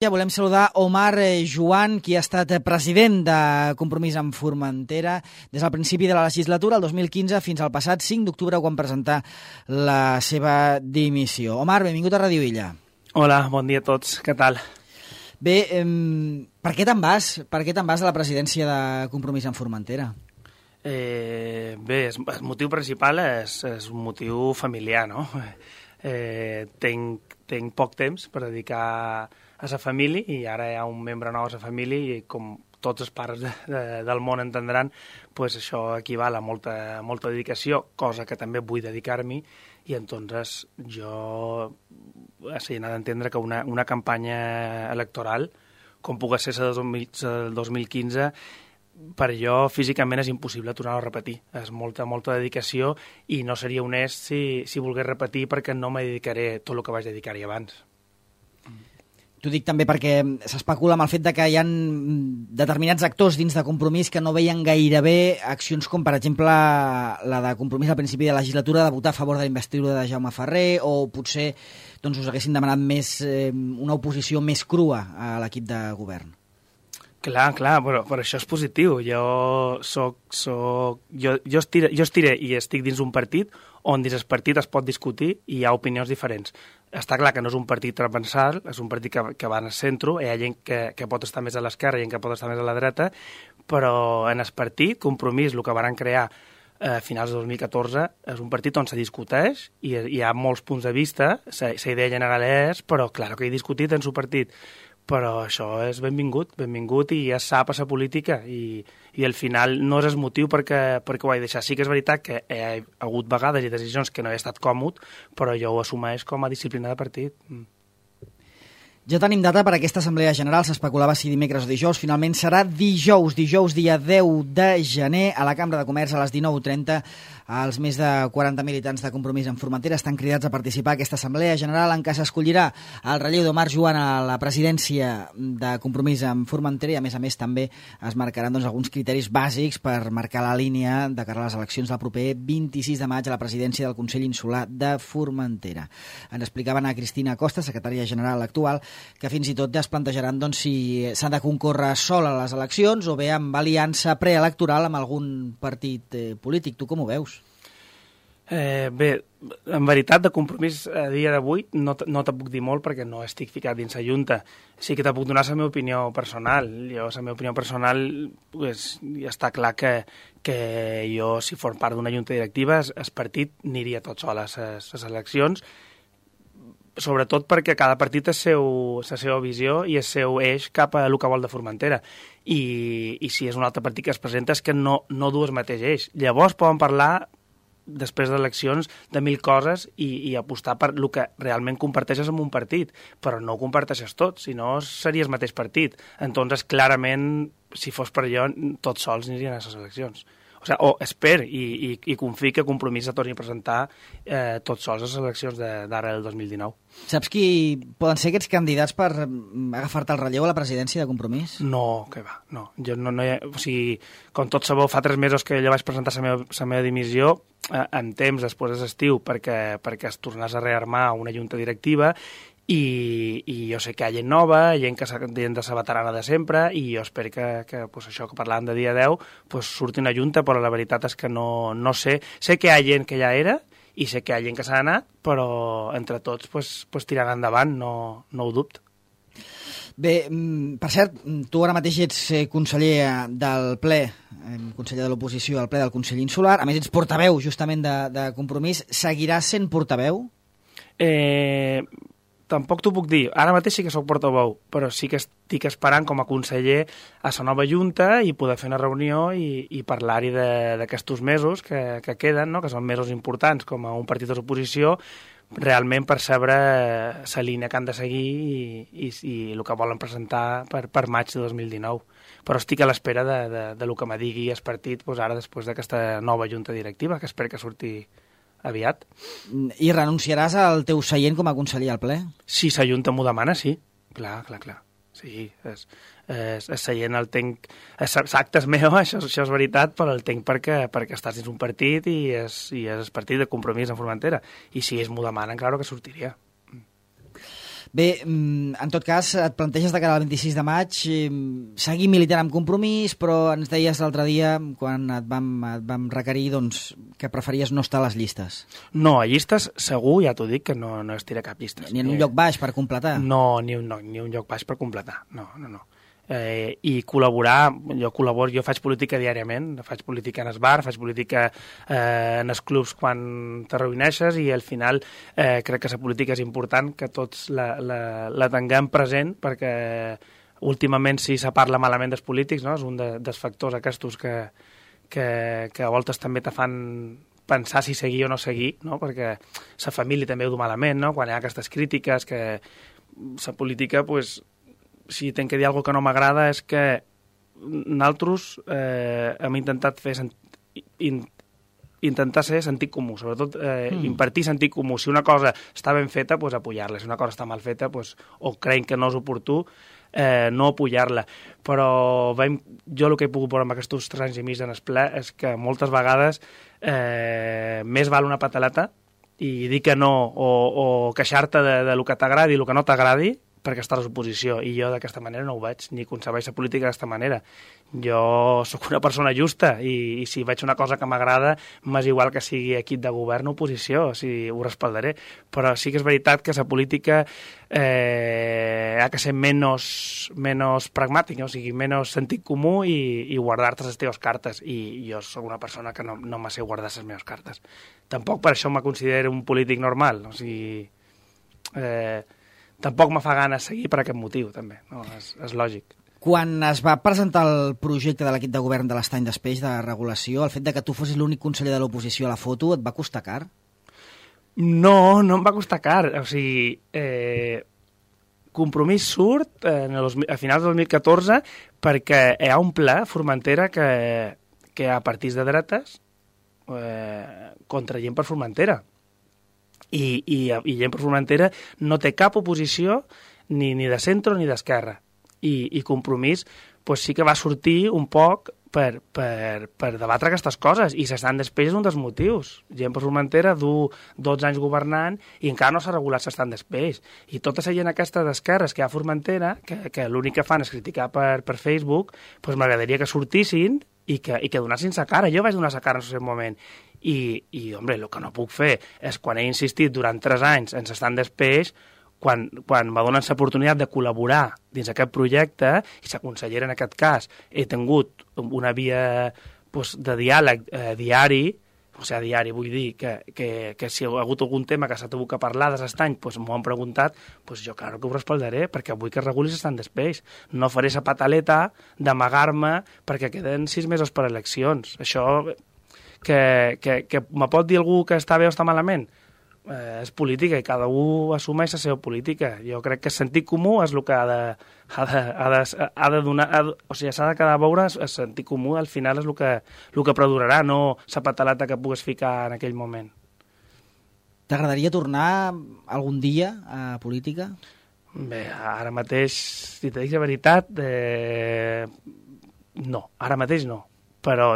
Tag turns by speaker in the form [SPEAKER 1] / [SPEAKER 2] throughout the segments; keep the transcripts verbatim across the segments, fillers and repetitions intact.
[SPEAKER 1] Ja volem saludar Omar Joan, qui ha estat president de Compromís amb Formentera des del principi de la legislatura, el dos mil quinze, fins al passat cinc d'octubre, quan presentà la seva dimissió. Omar, benvingut a Ràdio Illa.
[SPEAKER 2] Hola, bon dia a tots. Què tal?
[SPEAKER 1] Bé, eh, per què te'n vas? Per què te'n vas de la presidència de Compromís amb Formentera?
[SPEAKER 2] Eh, bé, el motiu principal és, és un motiu familiar, no? Eh, tenc, tenc poc temps per dedicar a la família i ara hi ha un membre nou a la família i com tots els pares de, de, del món entendran, pues això equival a molta, molta dedicació, cosa que també vull dedicar-m'hi, i entonces jo he d'entendre que una, una campanya electoral, com pugui ser la del dos mil quinze, per jo físicament és impossible tornar-ho a repetir. És molta, molta dedicació i no seria honest si, si volgués repetir, perquè no me dedicaré tot el que vaig dedicar-hi abans.
[SPEAKER 1] T'ho dic també perquè s'especula amb el fet de que hi ha determinats actors dins de Compromís que no veien gairebé accions com, per exemple, la de Compromís al principi de la legislatura de votar a favor de la investidura de Jaume Ferrer, o potser doncs, us haguessin demanat més, eh, una oposició més crua a l'equip de govern.
[SPEAKER 2] Clar, clar, però, però això és positiu. Jo soc, soc, jo, jo, estire, jo estiré i estic dins un partit on dins el partit es pot discutir i hi ha opinions diferents. Està clar que no és un partit transversal, és un partit que, que va en el centre, hi ha gent que, que pot estar més a l'esquerra i gent que pot estar més a la dreta, però en el partit, Compromís, el que van crear a finals de dos mil catorze, és un partit on se discuteix i hi ha molts punts de vista, la idea general és, però clar que he discutit en el partit. Però això és benvingut, benvingut i ja sap a la política i, i al final no és el motiu perquè, perquè ho he deixat. Sí que és veritat que hi ha hagut vegades i decisions que no he estat còmode, però jo ho assumeix com a disciplina de partit. Mm.
[SPEAKER 1] Ja tenim data per a aquesta Assemblea General, s'especulava si dimecres o dijous, finalment serà dijous, dijous dia deu de gener, a la Cambra de Comerç a les dinou trenta. Els més de quaranta militants de Compromís amb Formentera estan cridats a participar a aquesta Assemblea General en què s'escollirà el relleu d'Omar Joan a la presidència de Compromís amb Formentera i, a més a més, també es marcaran doncs, alguns criteris bàsics per marcar la línia de cara a les eleccions del proper vint-i-sis de maig a la presidència del Consell Insular de Formentera. Ens explicaven a Cristina Costa, secretària general actual, que fins i tot es plantejaran doncs, si s'han de concórrer sol a les eleccions o bé amb aliança preelectoral amb algun partit eh, polític. Tu com ho veus?
[SPEAKER 2] Eh, bé, en veritat, de Compromís a dia d'avui no, no te puc dir molt perquè no estic ficat dins la Junta. Sí que te puc donar la meva opinió personal. Jo, la meva opinió personal, pues, ja està clar que, que jo, si fos part d'una Junta directiva, el partit aniria tot sol a les eleccions, sobretot perquè cada partit té la seva visió i el seu eix cap a el que vol de Formentera. I, i si és un altre partit que es presenta és que no, no du el mateix eix. Llavors poden parlar després d'eleccions de mil coses i, i apostar per el que realment comparteixes amb un partit, però no ho comparteixes tot, si no seria el mateix partit. Entonces, clarament, si fos per allò, tots sols anirien a les eleccions. O sigui, o espero i, i, i confio que Compromís se torni a presentar eh, tots sols a les eleccions d'ara del dos mil dinou.
[SPEAKER 1] Saps qui poden ser aquests candidats per agafar-te el relleu a la presidència de Compromís?
[SPEAKER 2] No, que va, no. Jo no, no hi ha, o sigui, com tots sabeu, fa tres mesos que jo vaig presentar la meva, la meva dimissió eh, en temps després de l'estiu perquè, perquè es tornés a rearmar una junta directiva. I, i jo sé que hi ha gent nova, gent que gent de la veterana de sempre, i jo espero que, que pues això que parlàvem de dia deu pues surti una junta, però la veritat és que no, no sé. Sé que hi ha gent que ja era i sé que hi ha gent que s'ha anat, però entre tots pues, pues tirant endavant, no, no ho dubto.
[SPEAKER 1] Bé, per cert, tu ara mateix ets conseller del ple, conseller de l'oposició al ple del Consell Insular, a més ets portaveu justament de, de Compromís. Seguiràs sent portaveu?
[SPEAKER 2] Eh... Tampoc t'ho puc dir. Ara mateix sí que soc portaveu, però sí que estic esperant com a conseller a la nova junta i poder fer una reunió i, i parlar-hi d'aquests mesos que, que queden, no? Que són mesos importants com a un partit de l'oposició, realment per saber la línia que han de seguir i, i, i el que volen presentar per, per maig de dos mil dinou. Però estic a l'espera de, de, de lo que me digui el partit doncs ara després d'aquesta nova junta directiva, que espero que surti aviat.
[SPEAKER 1] I renunciaràs al teu seient com a conseller al ple?
[SPEAKER 2] Si la Junta m'ho demana, sí. Clar, clar, clar. Sí, és, és, és seient el tenc... És actes meu, això, això és veritat, però el tenc perquè, perquè estàs dins un partit i és, i és el partit de Compromís en Formentera. I si ells m'ho demanen, clar que sortiria.
[SPEAKER 1] Bé, en tot cas, et planteges de cara al vint-i-sis de maig seguir militant amb Compromís, però ens deies l'altre dia, quan et vam, et vam requerir, doncs, que preferies no estar a les llistes.
[SPEAKER 2] No, a llistes segur, ja t'ho dic, que no, no estiré cap llistes.
[SPEAKER 1] Ni en un eh... lloc baix per completar?
[SPEAKER 2] No, ni un, no, ni un lloc baix per completar, no, no, no. Eh, i col·laborar, jo col·laboro, jo faig política diàriament, faig política en el bar, faig política eh, en els clubs quan te reuneixes i al final eh, crec que la política és important que tots la, la, la tinguem present perquè últimament sí se parla malament dels polítics, no? És un de, dels factors aquests que, que, que a voltes també te fan pensar si seguir o no seguir, no? Perquè la família també ho du malament, no? Quan hi ha aquestes crítiques que la política, pues, si tenc que dir alguna que no m'agrada és que nosaltres eh, hem intentat fer sent... in... intentar ser sentit comú, sobretot eh, mm. impartir sentit comú. Si una cosa està ben feta, pues, apoyar-la. Si una cosa està mal feta, pues, o creiem que no és oportú, eh, no apoyar-la. Però veiem, jo el que he pogut veure amb aquests tres anys i mig en el ple és que moltes vegades eh, més val una pataleta i dir que no o, o queixar-te de, de lo que t'agradi i el que no t'agradi perquè estàs a l'oposició, i jo d'aquesta manera no ho veig, ni concebeix la política d'aquesta manera. Jo sóc una persona justa, i, i si veig una cosa que m'agrada, m'és igual que sigui equip de govern o oposició, o sigui, ho respaldaré. Però sí que és veritat que la política eh, ha que ser menys, menys pragmàtica, o sigui, menys sentit comú i, i guardar-te les teves cartes, i jo sóc una persona que no, no me sé guardar les meves cartes. Tampoc per això me considero un polític normal, o sigui... Eh, tampoc me fa gana seguir per aquest motiu, també. No? És, és lògic.
[SPEAKER 1] Quan es va presentar el projecte de l'equip de govern de l'Estany d'Espeix de regulació, el fet de que tu fossis l'únic conseller de l'oposició a la foto, et va costar car?
[SPEAKER 2] No, no em va costar car. O sigui, eh, Compromís surt eh, en el, a finals del dos mil catorze perquè hi ha un pla a Formentera que, que hi ha partits de dretes eh, contra gent per Formentera. I, i, i gent per Formentera no té cap oposició ni, ni de centre ni d'esquerra. I, i Compromís pues, sí que va sortir un poc per, per, per debatre aquestes coses, i s'estan després un dels motius. Gent per Formentera du dotze anys governant i encara no s'ha regulat s'estan després. I tota la gent aquesta d'esquerres que hi ha a Formentera, que, que l'únic que fan és criticar per, per Facebook, pues m'agradaria que sortissin i que, i que donessin sa cara. Jo vaig donar sa cara en el moment. I, i, home, el que no puc fer és, quan he insistit durant tres anys en s'estan després, quan, quan me donen l'oportunitat de col·laborar dins aquest projecte, i la consellera en aquest cas, he tingut una via pues, de diàleg eh, diari, o sigui, diari vull dir que, que, que si hi ha hagut algun tema que s'ha tingut que parlar de l'estany, pues, m'ho han preguntat, pues, jo claro que ho respaldaré, perquè vull que regulis estan després. No faré la pataleta d'amagar-me perquè queden sis mesos per eleccions. Això... que, que, que me pot dir algú que està bé o està malament? Eh, és política i cada un assumeix la seva política. Jo crec que el sentit comú és el que ha de, ha de, ha de, ha de donar... Ha de, o sigui, s'ha de quedar a veure el sentit comú, al final és el que, el que perdurarà, no la pataleta que pugues ficar en aquell moment.
[SPEAKER 1] T'agradaria tornar algun dia a política?
[SPEAKER 2] Bé, ara mateix, si te dic la veritat, eh, no, ara mateix no. Però,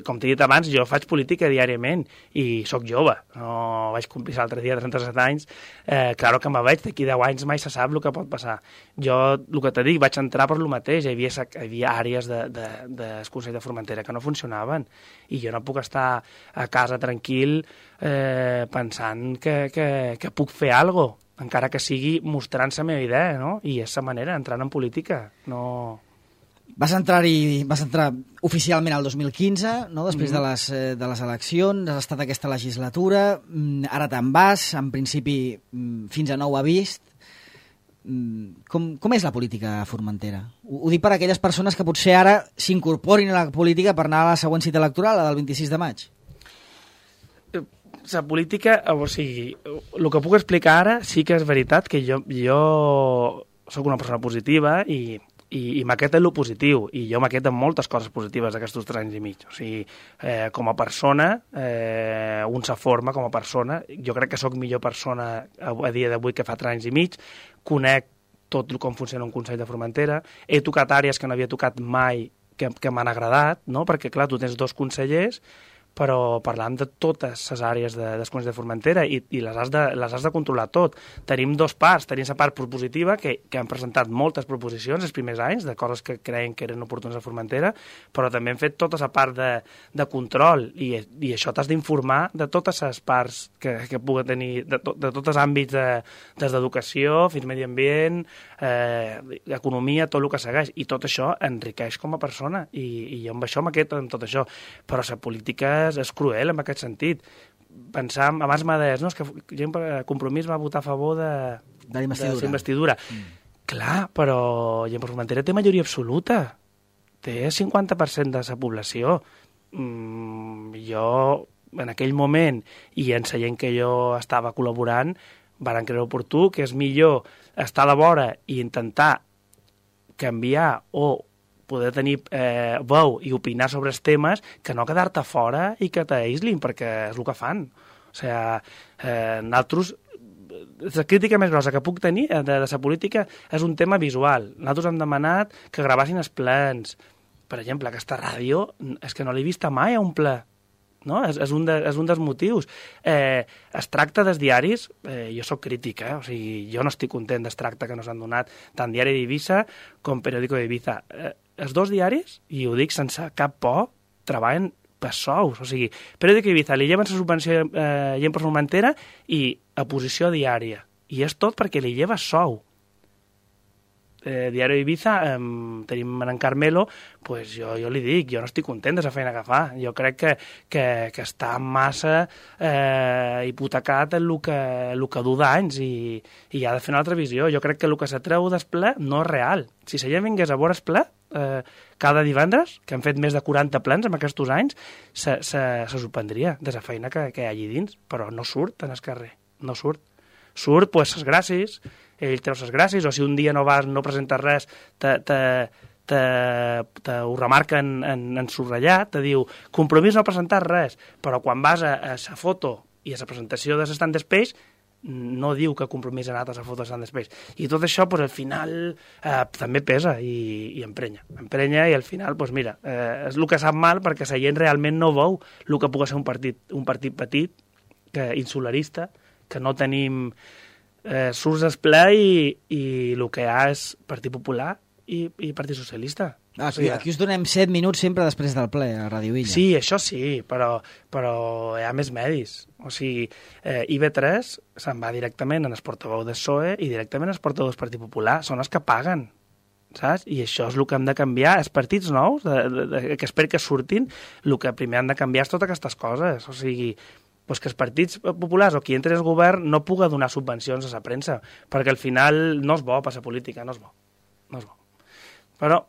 [SPEAKER 2] com t'he dit abans, jo faig política diàriament i sóc jove, no vaig complir l'altre dia trenta-set anys, eh, claro que me veig, d'aquí deu anys mai se sap el que pot passar. Jo, el que t'he dit, vaig entrar per lo mateix, hi havia, hi havia àrees del de, de, de Consell de Formentera que no funcionaven, i jo no puc estar a casa tranquil eh, pensant que, que, que puc fer alguna cosa, encara que sigui mostrant la meva idea, no? I és la manera, entrant en política, no...
[SPEAKER 1] Vas entrar-hi, vas entrar oficialment al dos mil quinze, no? Després mm-hmm. de, les, de les eleccions, has estat aquesta legislatura, ara te'n vas, en principi fins a nou avís. Com, com és la política a Formentera? Ho, ho dic per a aquelles persones que potser ara s'incorporin a la política per anar a la següent cita electoral, la del vint-i-sis de maig.
[SPEAKER 2] La política, o sigui, el que puc explicar ara sí que és veritat que jo, jo soc una persona positiva i i, i m'aquest és el positiu, i jo m'aquest amb moltes coses positives d'aquests tres anys i mig. O sigui, eh, com a persona, eh, un se forma com a persona, jo crec que sóc millor persona a, a dia d'avui que fa tres anys i mig, conec tot com funciona un Consell de Formentera, he tocat àrees que no havia tocat mai que, que m'han agradat, no? Perquè clar, tu tens dos consellers, però parlant de totes les àrees de, de Comunitat de Formentera i, i les, has de, les has de controlar tot. Tenim dos parts, tenim la part propositiva, que, que han presentat moltes proposicions els primers anys, de coses que creien que eren oportunes a Formentera, però també hem fet tota la part de, de control, i, i això t'has d'informar de totes les parts que, que pugui tenir, de, to, de tots els àmbits, de, des d'educació fins medi ambient, eh, economia, tot el que segueix, i tot això enriqueix com a persona, i, i jo amb això m'aqueto amb tot això, però la política és cruel en aquest sentit. Pensar, abans m'ha dit, no, és que gent, Compromís va votar a favor de,
[SPEAKER 1] de la investidura.
[SPEAKER 2] De la investidura. Mm. Clar, però Gent per Formentera té majoria absoluta. Té el cinquanta per cent de la població. Mm, jo, en aquell moment, i en la gent que jo estava col·laborant, varen creure oportú que és millor estar a la vora i intentar canviar o poder tenir eh, veu i opinar sobre els temes, que no quedar-te fora i que t'aïslin, perquè és el que fan. O sigui, eh, nosaltres, la crítica més grossa que puc tenir de, de la política és un tema visual. Nosaltres hem demanat que gravassin els plens. Per exemple, aquesta ràdio és que no l'he vista mai a un ple. No? És, és, un de, és un dels motius. Eh, es tracta dels diaris, eh, jo sóc crític, eh? O sigui, jo no estic content del tracte que nos han donat tant Diari d'Eivissa com Periódico d'Eivissa. Eh, els dos diaris, i ho dic sense cap por, treballen per sous. O sigui, Periódico d'Eivissa li lleven la subvenció eh, Gent per Formentera i a posició diària. I és tot perquè li lleva sou. Eh, Diari d'Eivissa, eh, tenim en Carmelo, pues jo, jo li dic, jo no estic content de la feina que fa. Jo crec que, que, que està massa eh, hipotecat en el que, el que du d'anys i, i ha de fer una altra visió. Jo crec que el que s'atreu del ple no és real. Si la gent vingués a veure el ple eh, cada divendres, que han fet més de quaranta plens en aquests anys, se, se, se sorprendria de la feina que, que hi ha allí dins, però no surt en el carrer, no surt. Surt, pues, les gràcies, ell treu les gràcies, o si un dia no vas, no presentes res, te, te, te, te ho remarca en, en, en subratllat, te diu, Compromís no ha presentat res, però quan vas a, a la foto i a la presentació de l'Stand Space, no diu que Compromís ha anat a la foto de l'Stand Space. I tot això, pues, al final, eh, també pesa i, i emprenya. Emprenya i al final, pues, mira, eh, és el que sap mal perquè la gent realment no veu el que pugui ser un partit, un partit petit, que, insularista, que no tenim eh, surts d'esplai i, i el que hi ha és Partit Popular i, i Partit Socialista.
[SPEAKER 1] Ah, aquí, aquí us donem set minuts sempre després del ple a Ràdio Illa.
[SPEAKER 2] Sí, això sí, però, però hi ha més medis. O sigui, eh, I V tres se'n va directament en el portaveu del P S O E i directament en el portaveu del Partit Popular. Són els que paguen, saps? I això és el que hem de canviar. Els partits nous, de, de, de, que espero que surtin, el que primer han de canviar és totes aquestes coses. O sigui, pues que els partits populars o qui entri al govern no puga donar subvencions a la premsa, perquè al final no és bo per la política, no és bo. No és bo. Però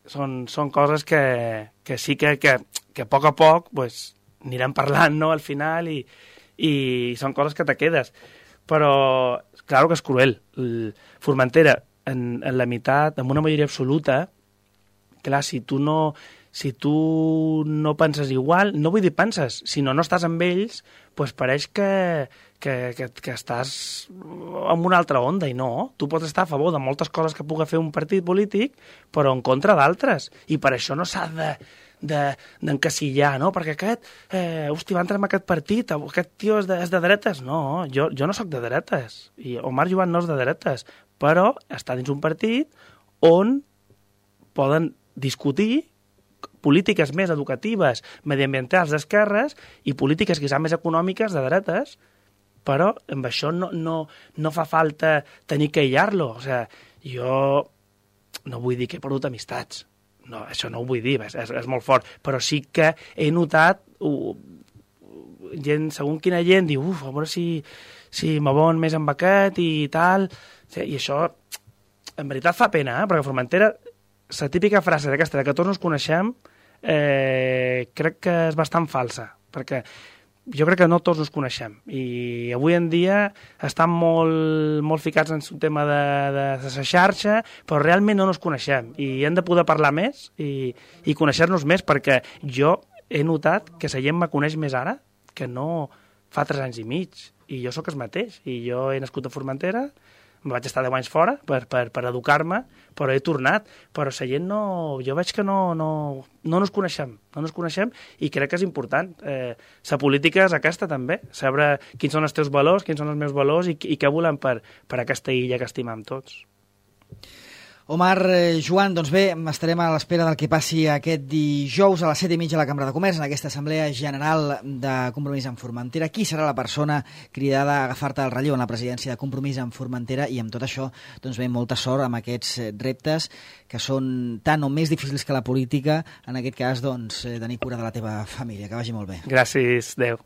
[SPEAKER 2] són, són coses que, que sí que, que, que a poc a poc pues, anirem parlant, no?, al final, i, i són coses que te quedes. Però, clar que és cruel. El Formentera, en, en la meitat, amb una majoria absoluta, clar, si tu no... si tu no penses igual, no vull dir penses, si no, no estàs amb ells, doncs pareix que, que, que, que estàs en una altra onda, i no. Tu pots estar a favor de moltes coses que pugui fer un partit polític, però en contra d'altres, i per això no s'ha de d'encasillar, no? Perquè aquest, eh, hosti, va entrar en aquest partit, aquest tio és de, és de dretes. No, jo, jo no sóc de dretes, i Omar Joan no és de dretes, però està dins un partit on poden discutir polítiques més educatives, mediambientals d'esquerres i polítiques quizà més econòmiques de dretes, però amb això no, no, no fa falta tenir que aïllar-lo. O sigui, jo no vull dir que he perdut amistats, no, això no ho vull dir, és, és, és molt fort, però sí que he notat, uh, gent, segons quina gent diu, uf, a veure si, si m'abon més amb aquest i tal, i això en veritat fa pena, eh? Perquè Formentera, la típica frase d'aquesta, que tots ens coneixem, eh, crec que és bastant falsa, perquè jo crec que no tots ens coneixem, i avui en dia estan molt, molt ficats en un tema de, de, de la xarxa, però realment no ens coneixem, i hem de poder parlar més i, i conèixer-nos més, perquè jo he notat que la gent me coneix més ara que no fa tres anys i mig, i jo sóc el mateix, i jo he nascut a Formentera, Me vaig estar deu anys fora per, per, per educar-me, però he tornat. Però la gent no... Jo veig que no, no, no nos coneixem, no nos coneixem i crec que és important. Eh, la política és aquesta també, saber quins són els teus valors, quins són els meus valors i, i què volem per, per aquesta illa que estimem tots.
[SPEAKER 1] Omar, eh, Joan, doncs bé, estarem a l'espera del que passi aquest dijous a les set i mitja a la Cambra de Comerç, en aquesta Assemblea General de Compromís amb Formentera. Qui serà la persona cridada a agafar-te el relleu en la presidència de Compromís amb Formentera? I amb tot això, doncs bé, molta sort amb aquests reptes que són tan o més difícils que la política, en aquest cas, doncs, tenir cura de la teva família. Que vagi molt bé.
[SPEAKER 2] Gràcies, adeu.